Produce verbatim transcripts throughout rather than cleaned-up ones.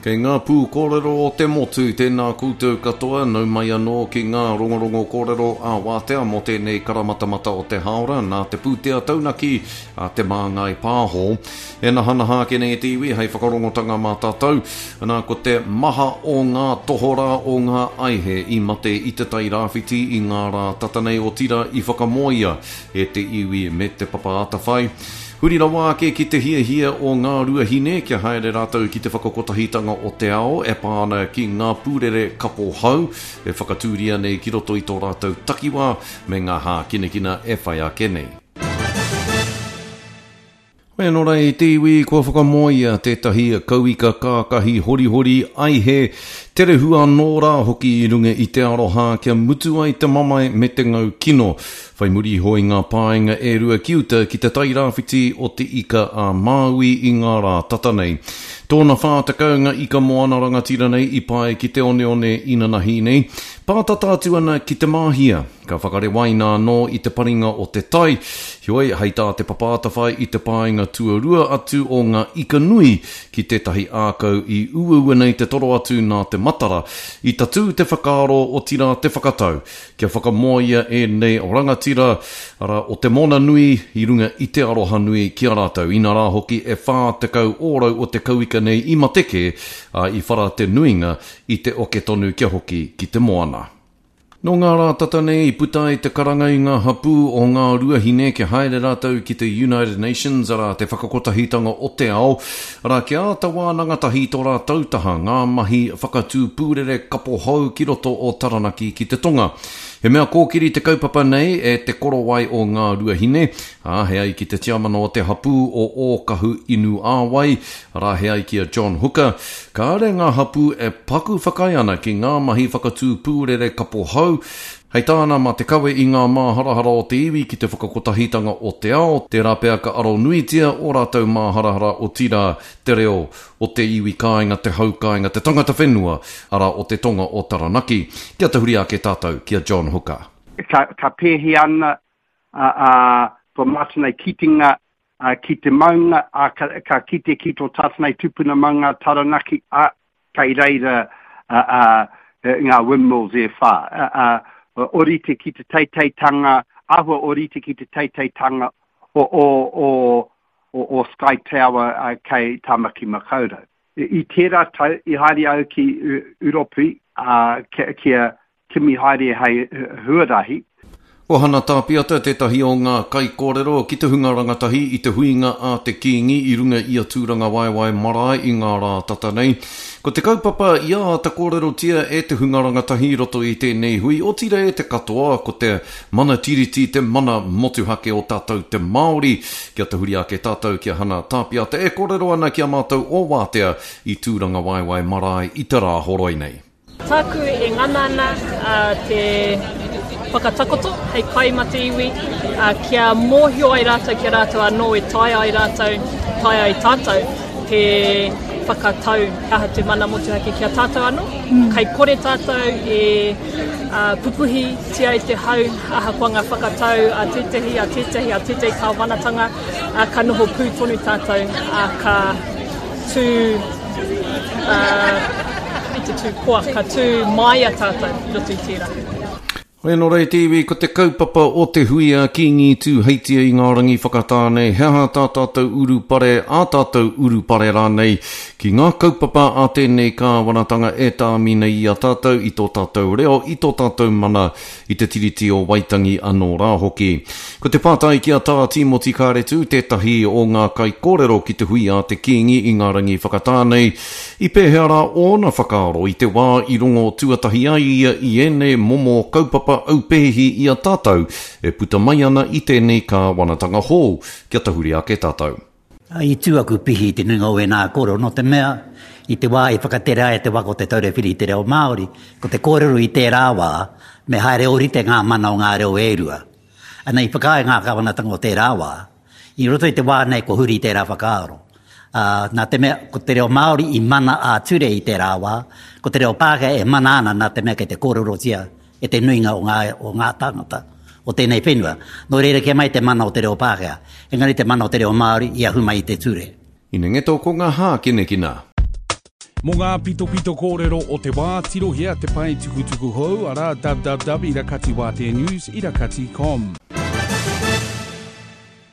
Kei ngā pū kōrero o te motu, tēnā koutou katoa, nau mai anō ki ngā rongorongo kōrero a wātea mō tēnei karamatamata o te hāora nā te pūtea taunaki a Te Māngai Pāho. E nahanaha ake nei te iwi hei whakarongotanga mā tātou, nā ko te maha o ngā tohorā o ngā aihe i mate i te Tai Rāwhiti i ngā rā tata nei otirā i whakamoea e te iwi me te Papa Atawhai. Huri rawa ake ki te hiahia o Ngā Ruahine kia haere rātou ki te whakakotahitanga o te ao e pā ana ki ngā pūrere kapo hau e whakatūria nei ki roto i tō rātou takiwā me ngā hākinakina e whai ake nei. Hoi anō rā e te iwi, kua whakamoea tētahi kauika kākahi horihori aihe, tere hua anō rā hoki i runga i te aroha kia mutu ai te mamae me te ngau kino. Whai muri iho i ngā paenga e rua ki uta ki te Tai Rāwhiti o Te Ika a Māui i ngā rā tata nei. Tōna whā tekau ngā ika moana rangatira nei i pae ki te oneone inanahi nei, pātata atu ana ki Te Māhia. Ka whakarewaina anō i te paringa o te tai, heoi hei tā Te Papa Atawhai i te paenga tuarua atu o ngā ika nui ki tētahi ākau i uaua nei te toro atu nā te matara, i tatū te whakaaro otirā te whakatau kia whakamoea ēnei rangatira, arā, o te moana nui i runga i te aroha nui ki a rātou. Inarā hoki e whā tekau ōrau o te kauika nei i mate kē, ā, i whara te nuinga i te oke tonu kia hoki ki te moana. Nō ngā rā tata nei i puta ai te karanga i ngā hapū o Ngā Ruahine kia haere rātou ki te United Nations, arā, te whakakotahitanga o te ao, arā, kia āta wānanga tahi i tō rātou taha ngā mahi whakatū pūrere kapo hou ki roto o Taranaki ki te tonga. He mea kōkiri te kaupapa nei e Te Korowai o Ngā Ruahine, ā, he ai ki te tiamana o te hapū o Ōkahu Inu Āwai, arā, he ai ki a John Hooker, kāre ngā hapū e paku whakaae ana ki ngā mahi whakatū pūrere kapo hou, hei tāna mā te kawe i ngā māharahara o te iwi ki te whakakotahitanga o te ao, tērā pea ka aro nuitia ō rātou māharahara otirā te reo o te iwi kāinga, te hau kāinga, te tangata whenua, arā o te tonga o Taranaki. Kia tahuri ake tātou ki a John Hooker. Ka, ka pēhi ana a, a, tō mātou nei kitenga a, ki te maunga, a, ka, ka kite ki tō tātou nei tupuna maunga Taranaki, a, kei reira a, a, ngā windmills e whā. A, a, orite ki te teiteitanga, āhua orite ki te teiteitanga o, o, o, o, o Sky Tower uh, kei Tāmaki Makaurau. I, I tērā tau, i haere au ki Uropi uh, kia, kia kimi haere hei huarahi. Ko Hana Tāpiata tētahi o ngā kaikōrero ki te hunga rangatahi i te huinga a te Kīngi i runga i a Tūrangawaewae marae i ngā rā tata nei. Ko te kaupapa i āta kōrerotia e te hunga rangatahi i roto i tēnei hui, otirā e te katoa, ko te mana tiriti, te mana motuhake o tātou te Māori. Kia tahuri ake tātou ki a Hana Tāpiata e kōrero ana ki a mātou o Wātea i Tūrangawaewae marae i te rā horoi nei. Tāku e ngana ana te whakatakoto hei kai ma te iwi, kia mōhio ai rātou ki a rātou anō e taea ai rātou, taea ai tātou te whakatau he aha te mana motuhake ki a tātou anō. Kei kore tātou e pupuhitia e te hau ahakoa ngā whakatau a tētehi, a tētehi, a tētehi kāwanatanga, ka noho pū tonu tātou, ka tū i te tū koa, ka tū māia tātou i roto i tērā. Hoi anō rā e te iwi, ko te kaupapa o te hui a Kīngi Tūheitia i ngā rangi whakatā nei, he aha tā tātou urupare, ā tātou urupare rānei, ki ngā kaupapa a tēnei kāwanatanga e tāmi nei i a tātou, i tō tātou reo, i tō tātou mana, i te Tiriti o Waitangi anō rā hoki. Ko te pātai ki a Tā Tīmoti Kāretu, tētahi o ngā kaikōrero ki te hui a te Kīngi i ngā rangi whakatā nei, i pēhea rā ōna whakaaro i te wā i rongo tuatahi ai ia i ēnei momo kaupapa aupēhi i a tātou e puta mai ana i tēnei kāwanatanga hou, kia tahuri ake tātou. I tū aku pihi i te nuinga o ēnā kōrero, nō te mea, i te wā i whakatere ai te waka o Te Taura Whiri i te reo Māori, ko te kōrero i tērā wā, me haere ōrite ngā mana o ngā reo e rua. Ana, i whakaae ngā kāwanatanga o tērā wā, i roto i te wā nei kua huri tērā whakaaro. Ā, nā te mea, ko te reo Māori i mana ā-ture i tērā wā, ko te reo Pākehā e mana ana nā te mea kei te kōrerotia e te nuinga o ngā, o ngā tāngata o tēnei whenua. Nō reira kia mai te mana o te reo Pākehā, engari te mana o te reo Māori i ahu mai i te ture. Inengeto ko ngā hākinakina. Mō ngā pitopito kōrero o te wā, tirohia te pae tukutuku hou, arā www irakatiwātea news irakati com.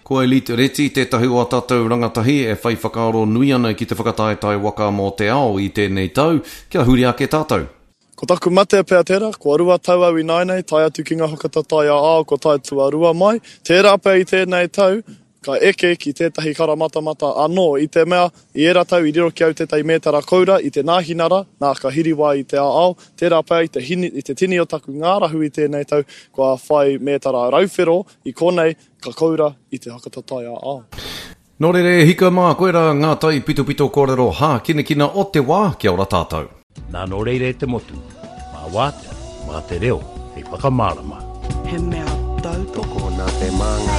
Ko Elite Reti tētahi o a tātou rangatahi e whai whakaaro nui ana ki te whakataetae waka mō te ao i tēnei tau, kia huri ake tātou. Ko taku matea pea tērā, kua rua tau au ināianei, tae atu ki ngā whakataetae ā-ao, kua tae tuarua mai, tērā pea i tēnei tau, ka eke ki tētahi karamatamata anō, i te mea, i ērā tau i riro ki au tētahi mētara koura i te nāhinara, nā ka hiriwā i te ā-ao, tērā pea i te, hini, i te tini o taku ngārahu i tēnei tau, kua whai mētara rauwhero i konei, ka koura i te whakataetae ā-ao. Nō reira e hika mā, koirā ngā taipitopito kōrero hākinakina o te wā, kia ora tātou. Nā nō reira e te motu, mā wātea, mā te reo, hei whakamārama. He mea tautoko nā te māngai.